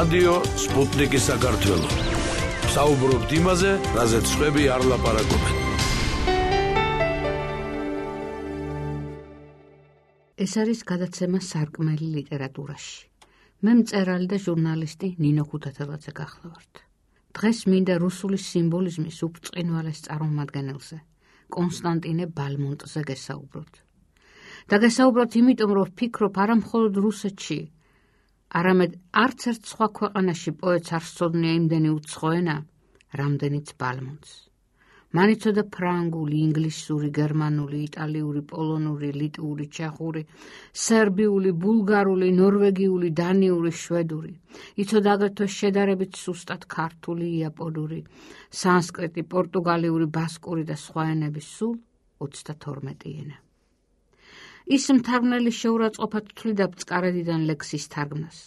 რადიო სპუტნიკი საქართველო. საუბრობთ იმაზე, რაზეც სხვები არ ლაპარაკობენ. ეს არის გადაცემა სარკმელი ლიტერატურაში. მე მწერალი და ჟურნალისტი ნინო ქუთათელაძე გახლავართ. დღეს მინდა რუსული სიმბოლიზმის უბწყინვალეს წარმომადგენელზე, კონსტანტინე ბალმონტზე გესაუბროთ. და გესაუბროთ იმიტომ, რომ ვფიქრობ არა მხოლოდ რუსეთში, არამედ არც ერთ სხვა ქვეყანაში პოეტს არ სწოდნია იმდენი უცხო ენა, რამდენიც ბალმონტს. მან იცოდა ფრანგული, ინგლისური, გერმანული, იტალიური, პოლონური, ლიტვური, ჩეხური, სერბიული, ბულგარული, ნორვეგიული, დანიური, შვედური. იცოდა აგრეთვე შედარებით სუსტად ქართული, იაპონური, სანსკრიტი, პორტუგალიური, ბასკური და სხვა ენების სულ 32 ენა. ის მთარგმნელი შეურაცხყოფად თვლიდა ბწყარედიდან ლექსის თარგმნას.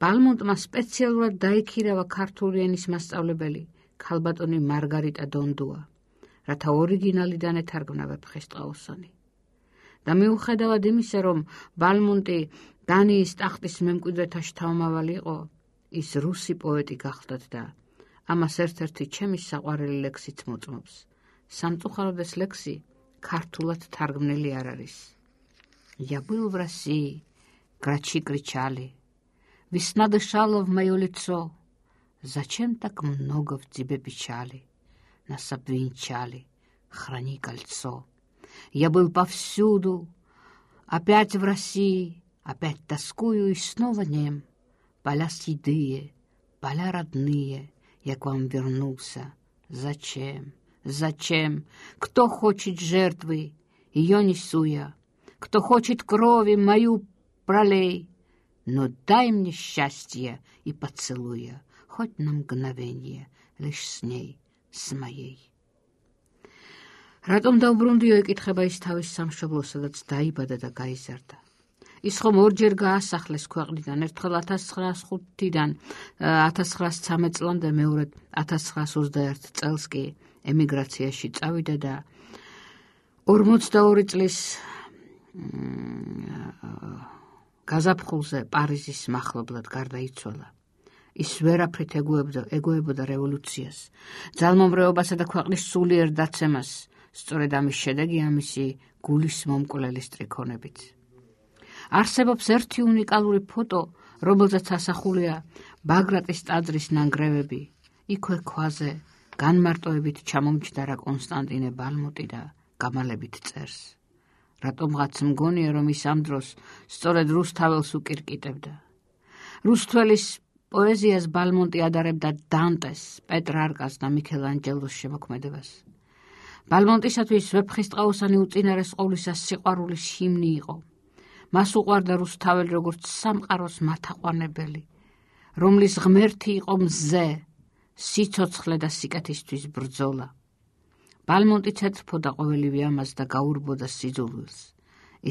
ბალმონტმა სპეციალურად დაიქირავა ქართული ენის მასწავლებელი ქალბატონი მარგარიტა დონდუა, რათა ორიგინალიდან ეთარგმნა ვეფხისტყაოსანი. და მიუხედავად იმისა, რომ ბალმონტი დანიის ტახტის მემკვიდრეთა შთამომავალი იყო, ის რუსი პოეტი გახლდათ და ამას ერთ-ერთი ჩემი საყვარელი ლექსიც მოწმობს. სამწუხაროდ ეს ლექსი ქართულად თარგმნილი არ არის. Я был в России, грачи кричали, весна дышала в мое лицо. Зачем так много в тебе печали? Нас обвенчали, храни кольцо. Я был повсюду, опять в России, опять тоскую и снова нем. Поля седые, поля родные, я к вам вернулся. Зачем? Зачем? Кто хочет жертвы, ее несу я. Кто хочет крови, мою пролей. Но дай мне счастье и поцелуя, хоть на мгновение, лишь с ней, с моей. Რატომ დაუბრუნდიო ეკითხება ის თავის სამშობლოს, სადაც დაიბადა და გაიზარდა. ის ხომ ორჯერ გაასახლეს ქვეყნიდან, ერთხელ 1905-დან 1913 წლამდე, მეორედ 1921 წელს კი ემიგრაციაში წავიდა და 42 წლის გაზაფხულზე პარიზის მახლობლად გარდაიცვალა. ის ვერაფრით ეგუებოდა რევოლუციას, ძალმომრეობასა და ქვეყნის სულიერ დაცემას, სწორედ ამის შედეგია მისი გულის მომკვლელი სტრიქონებით. არსებობს ერთი უნიკალური ფოტო, რომელზეც ასახულია ბაგრატის ტაძრის ნანგრევები, იქვე ქვაზე განმარტოებით ჩამომჯდარა კონსტანტინე ბალმონტი და გამალებით წერს. რატომღაც მგონია, რომ ის ამ დროს სწორედ რუსთაველს უკირკიტებდა. რუსთველის პოეზიას ბალმონტი ადარებდა დანტეს, პეტრარკას და მიქელანჯელოს შემოქმედებას. ბალმონტისათვის ვეფხისტყაოსანი უწინარეს ყოვლისა სიყვარულის ჰიმნი იყო. მას უყვარდა რუსთაველი როგორც სამყაროს მათაყვანებელი, რომლის ღმერთი იყო მზე, სიცოცხლე და სიკეთისთვის ბრძოლა. ბალმონტი ცეცხლობდა ყოველივე ამას და გაურბოდა სიძულვილს.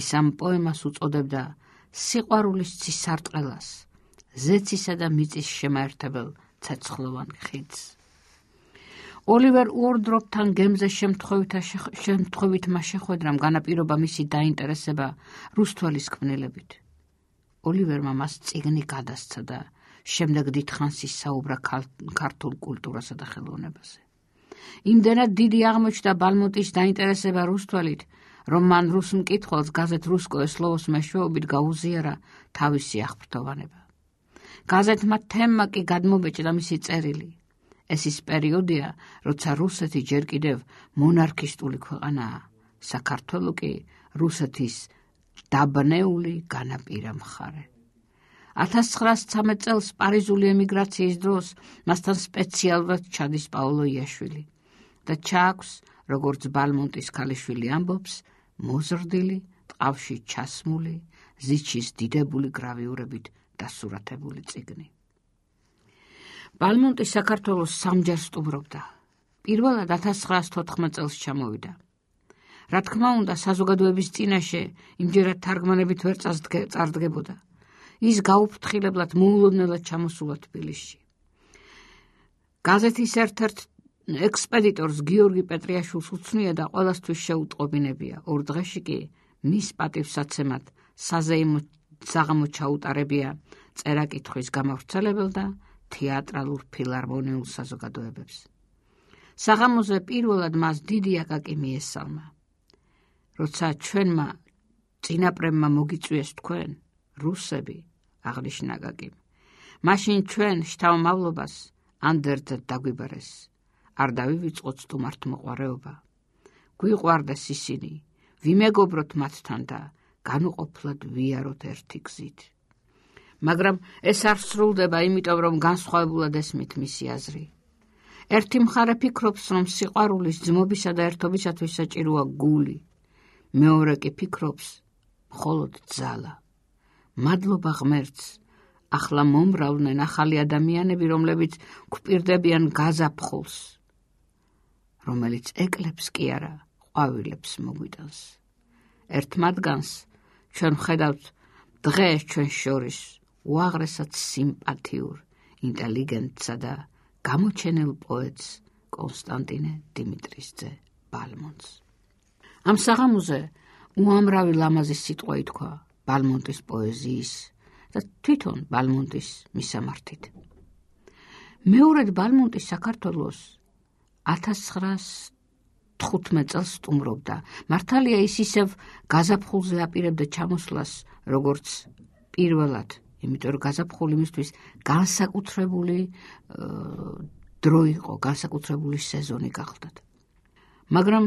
ის ამ პოემას უწოდებდა სიყვარულის ცისარტყელას, ზეცისა და მიწის შემაერთებელ ცეცხლოვან ხიდს. ოლივერ უორდროპთან გემზე შემთხვევითმა შეხვედრამ განაპირობა მისი დაინტერესება რუსთველის ქმნილებით. ოლივერმა მას წიგნი გადასცა და შემდეგ დიდხანს ისაუბრა ქართულ კულტურასა და ხელოვნებაზე. იმდენად დიდი აღმოჩნდა ბალმონტის დაინტერესება რუსთველით, რომ მან რუს მკითხველს გაზეთ რუსკოე სლოვოს მეშვეობით გაუზიარა თავისი აღფრთოვანება. გაზეთმა თემმა კი გადმობეჭდა მისი წერილი. ეს ის პერიოდია, როცა რუსეთი ჯერ კიდევ მონარქისტული ქვეყანაა, საქართველო კი რუსეთის დაბნეული განაპირა მხარე. 1913 წელს პარიზული ემიგრაციის დროს მასთან სპეციალურად ჩადის პაოლო იაშვილი და ჩააქვს, როგორც ბალმონტის ქალიშვილი ამბობს, მოზრდილი, ტყავში ჩასმული, ზიჩის დიდებული გრავიურებით დასურათებული წიგნი. ბალმონტი საქართველოს სამჯერ სტუმრობდა. პირველად 1914 წელს ჩამოვიდა. რა თქმა უნდა, საზოგადოების წინაშე იმჯერად თარგმანებით ვერ წარდგებოდა. ის გაუფრთხილებლად მოულოდნელად ჩამოსულა თბილისში. გაზეთის ერთ-ერთ ექსპედიტორს გიორგი პეტრიაშვილს უცნია და ყველასთვის შეუტყობინებია. ორ დღეში კი მის პატივსაცემად საზეიმო საღამო ჩაუტარებია წერა-კითხვის გამავრცელებელ და თეატრალურ ფილარმონიულ საზოგადოებებს. საღამოზე პირველად მას დიდი აკაკი მიესალმა. როცა ჩვენმა წინაპრებმა მოგიწვიეს თქვენ, რუსები, აღნიშნა აკაკიმ, მაშინ ჩვენ შთამომავლობას ანდერძად დაგვიბარეს, არ დავივიწყოთ სტუმართმოყვარეობა. გვიყვარდეს ისინი, ვიმეგობროთ მათთან და განუყოფლად ვიაროთ ერთი გზით. მაგრამ ეს არ სრულდება, იმიტომ რომ განსხვავებულად ესმით მისი აზრი. ერთი მხარე ფიქრობს, რომ სიყვარულის ძმობისა და ერთობისათვის საჭიროა გული, მეორე კი ფიქრობს, მხოლოდ ძალა. მადლობა ღმერთს, ახლა მომრავლდნენ ახალი ადამიანები, რომლებიც გვპირდებიან გაზაფხულს, რომელიც ეკლებს კი არა, ყვავილებს მოგვიტანს. ერთ მათგანს ჩვენ ვხედავთ დღეს ჩვენ შორის უაღრესად სიმპათიურ, ინტელიგენტსა და გამოჩენილ პოეტს კონსტანტინე დიმიტრისძე ბალმონტს. ამ საღამოზე უამრავი ლამაზი სიტყვა ითქვა ბალმონტის პოეზიის და თვითონ ბალმონტის მისამართით. მეორედ ბალმონტი საქართველოს 1915 წელს სტუმრობდა. მართალია ის ისევ გაზაფხულზე აპირებდა ჩამოსვლას, როგორც პირველად, იმიტომ რომ გაზაფხული მისთვის განსაკუთრებული დრო იყო, განსაკუთრებული სეზონი გახლდათ. მაგრამ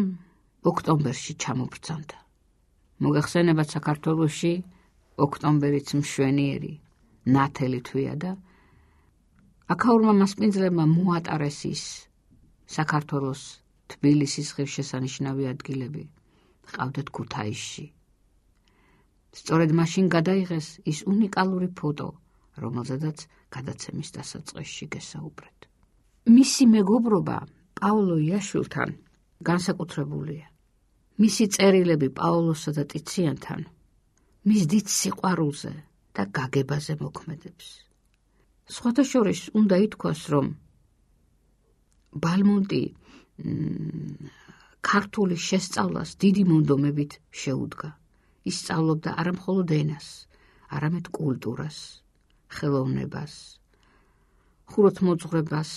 ოქტომბერში ჩამობრძანდა. მოგახსენებათ, საქართველოში ოქტომბერიც მშვენიერი, ნათელი თვია და აქაურმა მასპინძლებმა მოატარეს ის საქართველოს თბილისის ღირსშესანიშნავი ადგილები, ყავდათ ქუთაისში. სწორედ მაშინ გადაიღეს ის უნიკალური ფოტო, რომელზედაც გადაცემის დასაწყისში გესაუბრეთ. მისი მეგობრობა პაოლო იაშვილთან განსაკუთრებულია. მისი წერილები პაოლოსა და ტიციანთან მის დიდ სიყვარულზე და გაგებაზე მოქმედებს. სხვათა შორის უნდა ითქვას, რომ ბალმონტი ქართული შესწავლას დიდი მონდომებით შეუდგა. ის სწავლობდა არა მხოლოდ ენას, არამედ კულტურას, ხელოვნებას, ხუროთმოძღვრებას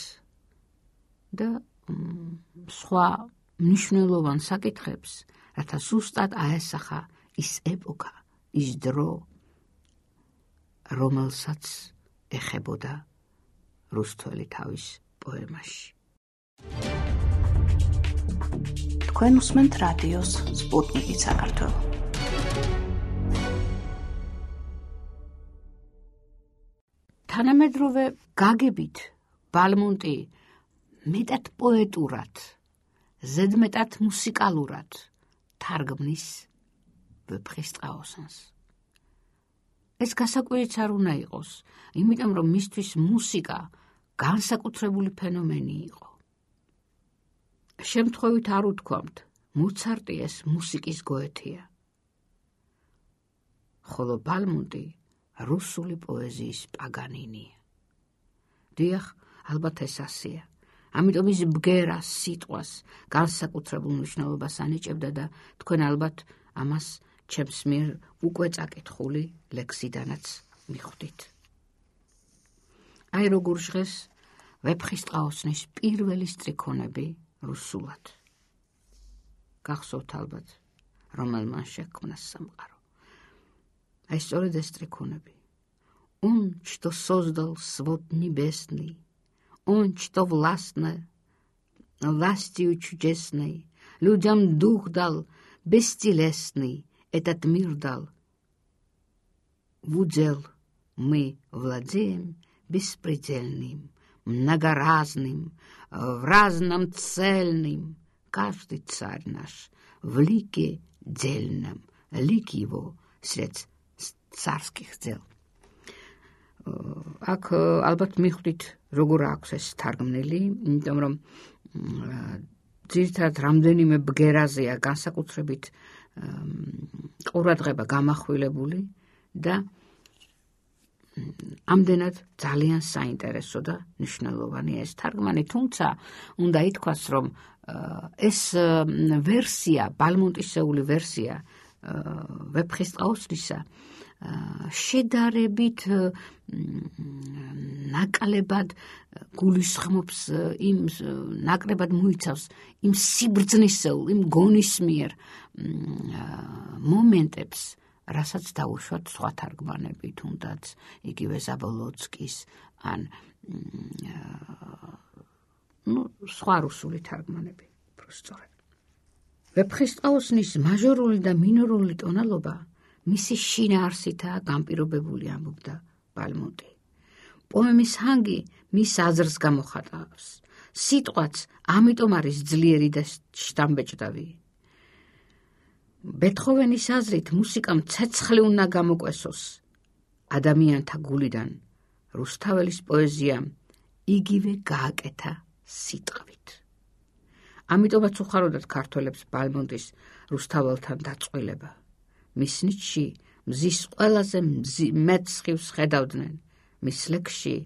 და სხვა მნიშვნელოვან საკითხებს, რათა ზუსტად აესახა ის ეპოქა, ის დრო, რომელსაც ეხებოდა რუსთველი თავის პოემაში. თქვენ უსმენთ რადიოს სპუტნიკი საქართველო. თანამედროვე გაგებით ბალმონტი მეტად პოეტურად, ზედმეტად მუსიკალურად თარგმნის ვეფხისტყაოსანს. ეს გასაკვირიც არ უნდა იყოს, იმიტომ რომ მისთვის მუსიკა განსაკუთრებული ფენომენი იყო. შემთხვევით არ უთქვამთ, მოცარტი ეს მუსიკის გოეთია. ხოლო ბალმონტი რუსული პოეზიის პაგანინია. დიახ, ალბათ ეს ასეა. ამიტომ ის ბგერას, სიტყვას განსაკუთრებულ მნიშვნელობას ანიჭებდა და თქვენ ალბათ ამას ჩემს მიერ უკვე წაკითხული ლექსიდანაც მიხვდით. აი როგორ ჟღეს ვეფხისტყაოსნის პირველი სტრიქონები რუსულად. გახსოვთ ალბათ, რომელმან შექმნა სამყარო. Ai стороны стреконები. Он, что создал свод небесный, он, что властно, властью чудесной, людям дух дал, бестелесный, этот мир дал. В удел мы владеем беспредельным, многоразным, в разном цельным. Каждый царь наш в лике дельном, лик его сред царских дел. აქ ალბათ მიხვდით როგორ აქვს ეს თარგმნილი, იმიტომ რომ ძირითადად რამდენიმე ბგერაზეა განსაკუთრებით ყურადღება გამახვილებული და ამდენად ძალიან საინტერესო და მნიშვნელოვანია ეს თარგმანი, თუმცა უნდა ითქვას, რომ ეს ვერსია, ბალმონტისეული ვერსია ვეფხისტყაოსნისა შედარებით ნაკლებად გულისხმობს იმ ნაკლებად მოიცავს იმ სიბრძნისეულ, იმ გონისმიერ მომენტებს, რასაც დაუშვათ სხვა თარგმანები, თუნდაც იგივე ზაბოლოცკის ან სხვა რუსული თარგმანები, უბრალოდ. ვეფხისტყაოსნის მაჟორული და მინორული ტონალობა მისი შინაარსითაა განპირობებული, ამბობდა ბალმონტი. პოემის ჰანგი მის აზრს გამოხატავს. სიტყვაც ამიტომ არის ძლიერი და შთამბეჭდავი. ბეთჰოვენის აზრით მუსიკამ ცეცხლი უნდა გამოკვესოს ადამიანთა გულიდან. რუსთაველის პოეზიამ იგივე გააკეთა სიტყვით. ამიტომაც უხაროდათ ქართველებს ბალმონტის რუსთაველთან დაწყვილება. მის ნიჭში მზის ყველაზე მეტ სხივს ხედავდნენ, მის ლექსში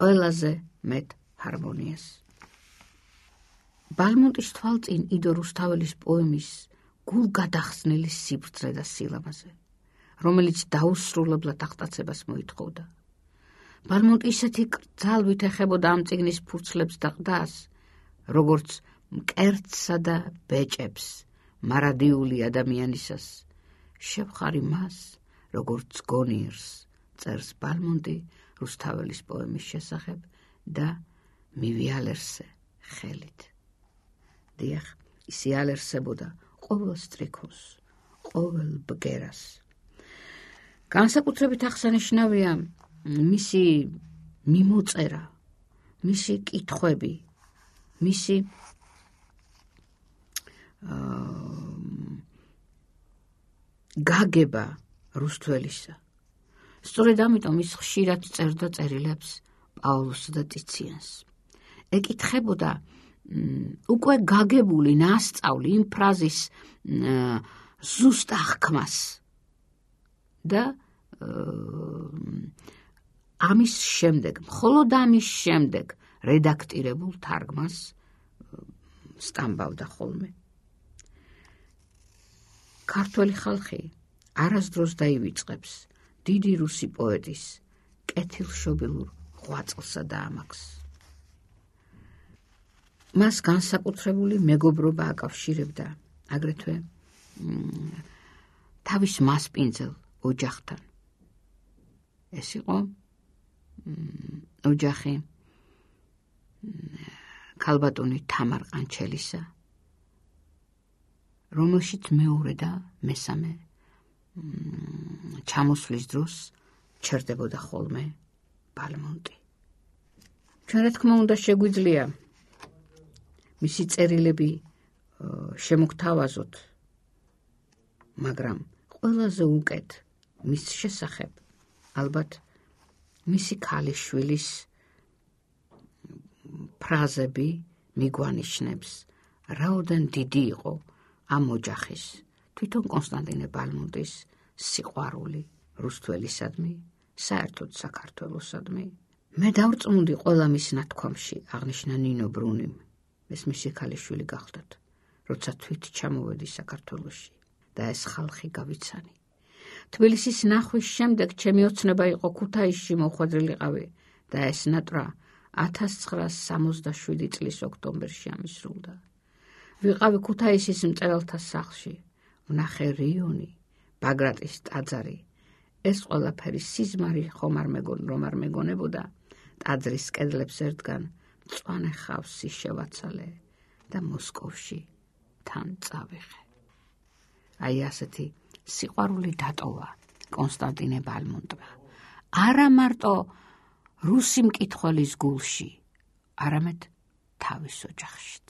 ყველაზე მეტ ჰარმონიას. ბალმონტის თვალწინ იდო რუსთაველის პოემის გულგადახსნილი სიბრძნე და სილამაზე, რომელიც დაუსრულებლად აღტაცებას მოითხოვდა. ბალმონტი ისეთი ძალვით ეხებოდა ამ წიგნის ფურცლებს და ყდას, როგორც მკერდსა და ბეჭებს მარადიული ადამიანისას. შევხარი მას, როგორც გონიერს, წერს ბალმონტი რუსთაველის პოემის შესახებ და მივიალერსე ხელით. დიახ, ის იალერსებოდა ყოველ სტრიქოს, ყოველ ბგერას. განსაკუთრებით აღსანიშნავია მისი მიმოწერა, მისი კითხვები, მისი გაგება რუსთველისა. სწორედ ამიტომ ის ხშირად წერდა წერილებს პაულუსს და ტიციანს. ეკითხებოდა უკვე გაგებული ნასწავლი იმ ფრაზის ზუსტ აღქმას და ამის შემდეგ, მხოლოდ ამის შემდეგ რედაქტირებულ თარგმანს სტამბავდა ხოლმე. ქართველი ხალხი არასდროს დაივიწყებს დიდი რუსი პოეტის კეთილშობილურ ღვაწლსა და ამაყს. მას განსაკუთრებული მეგობრობა აკავშირებდა აგრეთვე თავის მასპინძელ ოჯახთან. ეს იყო ოჯახი ქალბატონი თამარ ყანჩელისა, რომელშიც მეორე და მესამე ჩამოსვლის დროს ჩერდებოდა ხოლმე ბალმონტი. ჩვენ რა თქმა უნდა შეგვიძლია მისი წერილები შემოგთავაზოთ, მაგრამ ყველაზე უკეთ მის შესახებ ალბათ მისი ქალიშვილის ფრაზები მიგვანიშნებს, რაოდენ დიდი იყო ამ ოჯახის, თვითონ კონსტანტინე ბალმონტის სიყვარული რუსთველისადმი, საერთოდ საქართველოსადმი. მე დავწმუნდი ყველა მის ნათქვამში, აღნიშნა ნინო ბრუნიმ. ეს მისი ქალიშვილი გახდათ, როცა თვით ჩამოვედი საქართველოში და ეს ხალხი გავიცანი. თბილისის ნახვის შემდეგ ჩემი ოცნება იყო ქუთაისში მოხვედრილიყავი და ეს ნატრა 1967 წლის ოქტომბერში ამისრულდა. ვიყავი ქუთაისის მწერალთა სახლში, ვნახე რიონი, ბაგრატის ტაძარი. ეს ყველაფერი სიზმარი ხომ არ მეგონებოდა. ტაძრის კედლებს ერთგან მწვანე ხავსი შევაცალე და მოსკოვში თან წავიღე. აი ასეთი სიყვარული დატოვა კონსტანტინე ბალმონტმა. არა მარტო რუსი მკითხველის გულში, არამედ თავის ოჯახშიც.